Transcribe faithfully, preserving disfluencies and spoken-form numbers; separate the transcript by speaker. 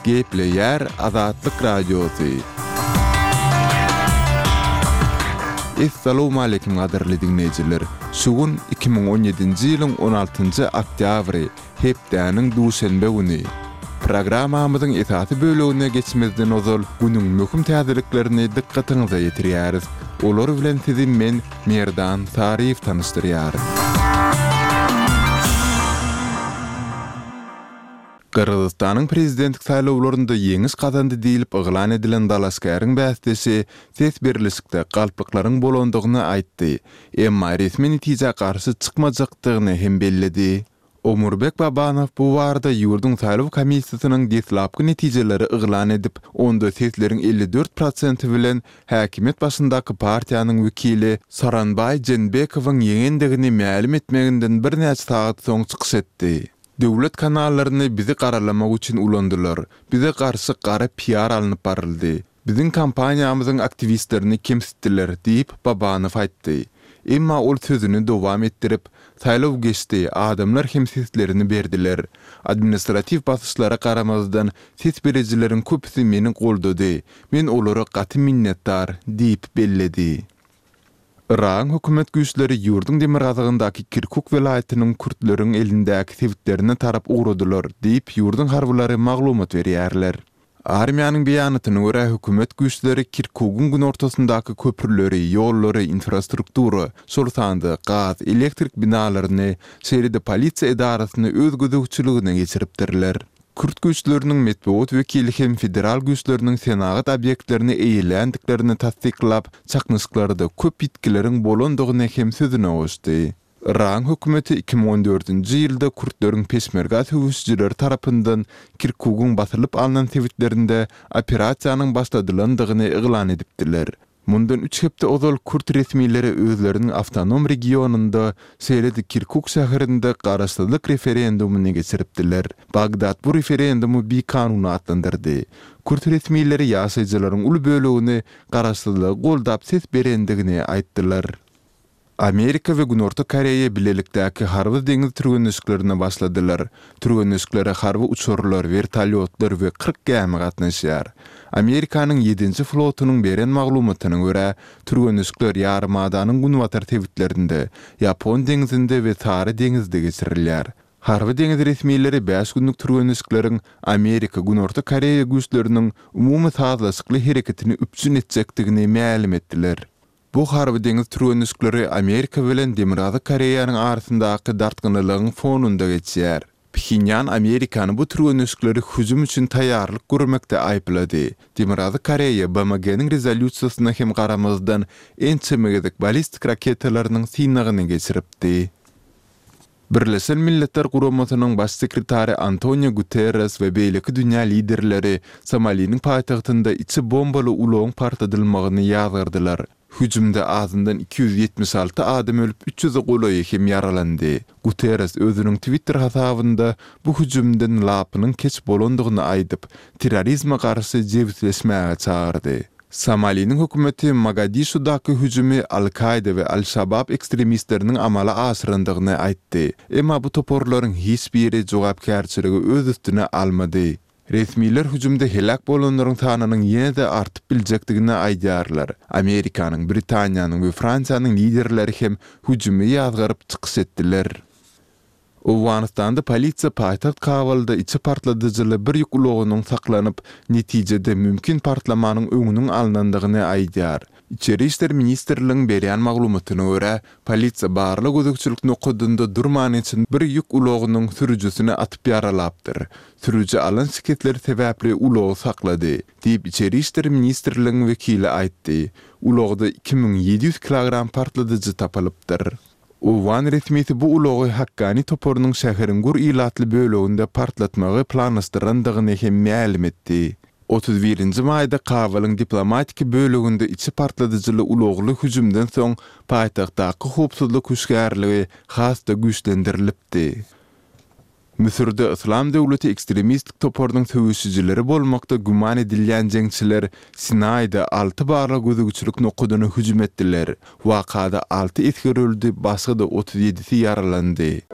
Speaker 1: Gepleýär Azatlyk Radiosy. Essalawmaleýkim gadyrly diňleýjiler! Şu gün iki müň on ýedinji ýylyň on altynjy oktýabry, hepdäniň duşenbe güni. Programmamyzyň esasy bölegine geçmezden ozal günüň möhüm täzeliklerini dykgatyňyza ýetirýäris. Olar bilen sizi men, Merdan Saryýew tanyşdyrýaryn. Gyrgyzystanyň prezidentlik saýlawlarynda ýeňiş gazandy diýlip yglan edilen dalaşgäriň bäsdeşi ses berlişikde galplyklaryň bolandygyny aýtdy, emma resmi netijä garşy çykmajakdygyny hem belledi. Omurbek Babanow bu barada ýurduň saýlaw komissiýasynyň deslapky netijeleri yglan edip, onda sesleriň elli dört prosenti bilen häkimiýet başyndaky partiýanyň wekili Sooronbaý Jeenbekowyň ýeňendigini mälim etmeginden birnäçe sagat soň çykyş etdi. Döwlet kanallaryny bizi garalamak üçin ulandylar. Bize garşy gara piar alnyp baryldy. Biziň kompaniýamyzyň aktiwistlerini kemsitdiler diýip, Babanow aýtdy. Emma ol sözüni dowam etdirip, Saýlaw geçdi, adamlar hem seslerini berdiler. Administratiw basyşlara garamazdan, ses berijileriň köpüsi meni goldady. Men olara gaty minnetdar diýip belledi. Yragyň hökümet güýçleri ýurduň demirgazygyndaky Kirkuk welaýatynyň kürtleriň elindäki sebitlerine tarap ugradylar diýip, ýurduň harbylary maglumat berýärler. Armiýanyň beýanatyna görä, hökümet güýçleri Kirkugyň günortasyndaky köprüleri, ýollary, infrastruktura, şol sanda gaz, elektrik binalaryny, şeýle-de polisiýa edarasyny öz gözegçiligine geçiripdirler. Kürt güýçleriniň metbugat wekili hem federal güýçleriniň senagat obýektlerini eýeländiklerini tassyklap, çaknyşyklarda köp ýitgileriň bolandygyny hem sözüne goşdy. Yragyň hökümeti iki müň on dördünji ýylda kürtleriň peşmerga söweşijileri tarapyndan Kirkugyň basylyp alnan sebitlerinde operasiýanyň başladylandygyny yglan edipdiler. Mundan üç hepde ozal kürt resmileri özleriniň awtonom regionynda, şeýle-de Kirkuk şäherinde garaşsyzlyk referendumyny geçiripdiler. Bagdat bu referendumy bikanun atlandyrdy. Kürt resmileri ýaşaýjylaryň uly bölegini garaşsyzlygy goldap ses berendigini aýtdylar. Amerika we Günorta Koreýa bilelikdäki harby deňiz türgenleşiklerine başladylar. Türgenleşiklere harby uçarlar, wertolýotlar we kyrk gämi gatnaşýar. Amerikanyň ýedinji flotunyň beren maglumatyna görä, türgenleşikler ýarymadanyň günbatar sebitlerinde, Ýapon deňzinde we Sary deňizde geçirilýär. Harby deňiz resmileri bäş günlük türgenleşikleriň Amerika-Günorta Koreýa güýçleriniň umumy sazlaşykly hereketini üpjün etjekdigini mälim etdiler. Bu harby-deňiz türgenleşikleri Amerika bilen Demirgazyk Koreýanyň arasyndaky dartgynlylygyň fonunda geçýär. Phenýan Amerikany bu türgenleşikleri hüjüm üçin taýýarlyk görmekde aýyplady. Demirgazyk Koreýa B M G-niň rezolýusiýasyna hem garamazdan ençeme gezek ballistik raketalarynyň synagyny geçiripdi. Birleşen Milletler Guramasynyň Baş sekretary Antonio Guterres we beýleki dünýä liderleri Somaliniň paýtagtynda içi bombaly ulagyň partladylmagyny ýazgardylar. Hüjümde azyndan iki ýüz ýetmiş alty adam ölüp, üç ýüze golaýy hem ýaralandy. Guterres özüniň Twitter hasabynda bu hüjümden lapynyň keç bolandygyny aýdyp, terrorizme garşy jebisleşmäge çagyrdy. Somaliniň hökümeti Mogadişudaky hüjümi Al-Kaýda we Al-Şabab ekstremistleriniň amala aşyrandygyny aýtdy. Emma bu toparlaryň hiç biri jogapkärçiligi öz üstüne almady. Resmiler hüjümde heläk bolanlaryň sanynyň ýene-de artyp biljekdigini aýdýarlar. Amerikanyň, Britaniýanyň we Fransiýanyň liderleri hem hüjümi ýazgaryp çykyş etdiler. Owganystanda polisiýa paýtagt Kabulda içi partladyjyly bir ýük ulagynyň saklanyp, netijede mümkin partlamanyň öňüniň alnandygyny aýdýar. Içeri işler ministrligiň berýän maglumatyna görä, polisiýa barlag-gözegçilik nokadynda durman geçen bir ýük ulagynyň sürüjisini atyp ýaralapdyr. Sürüji alan şikesleri sebäpli ulagy saklady, diýip Içeri işler ministrligiň wekili aýtdy. Ulagda iki müň ýedi ýüz kilogram partladyjy tapylypdyr. Owgan resmisi bu ulagy Hakkani toparynyň şäheriň gür ilatly böleginde partlatmagy planlaşdyrandygyny hem mälim etdi. Otuz birinji maýda Kabulyň diplomatiki böleginde içi partladyjyly ulagly hüjümden soň paýtagtdaky howpsuzlyk hüşgärligi has-da güýçlendirilipdi. Müsürde Yslam döwleti ekstremistik toparynyň söweşijileri bolmakda güman edilýän jeňçiler Sinaýda alty barlag-gözegçilik nokadyna hüjüm etdiler. Wakada alty esger öldi, başga-da otuz ýedisi ýaralandy.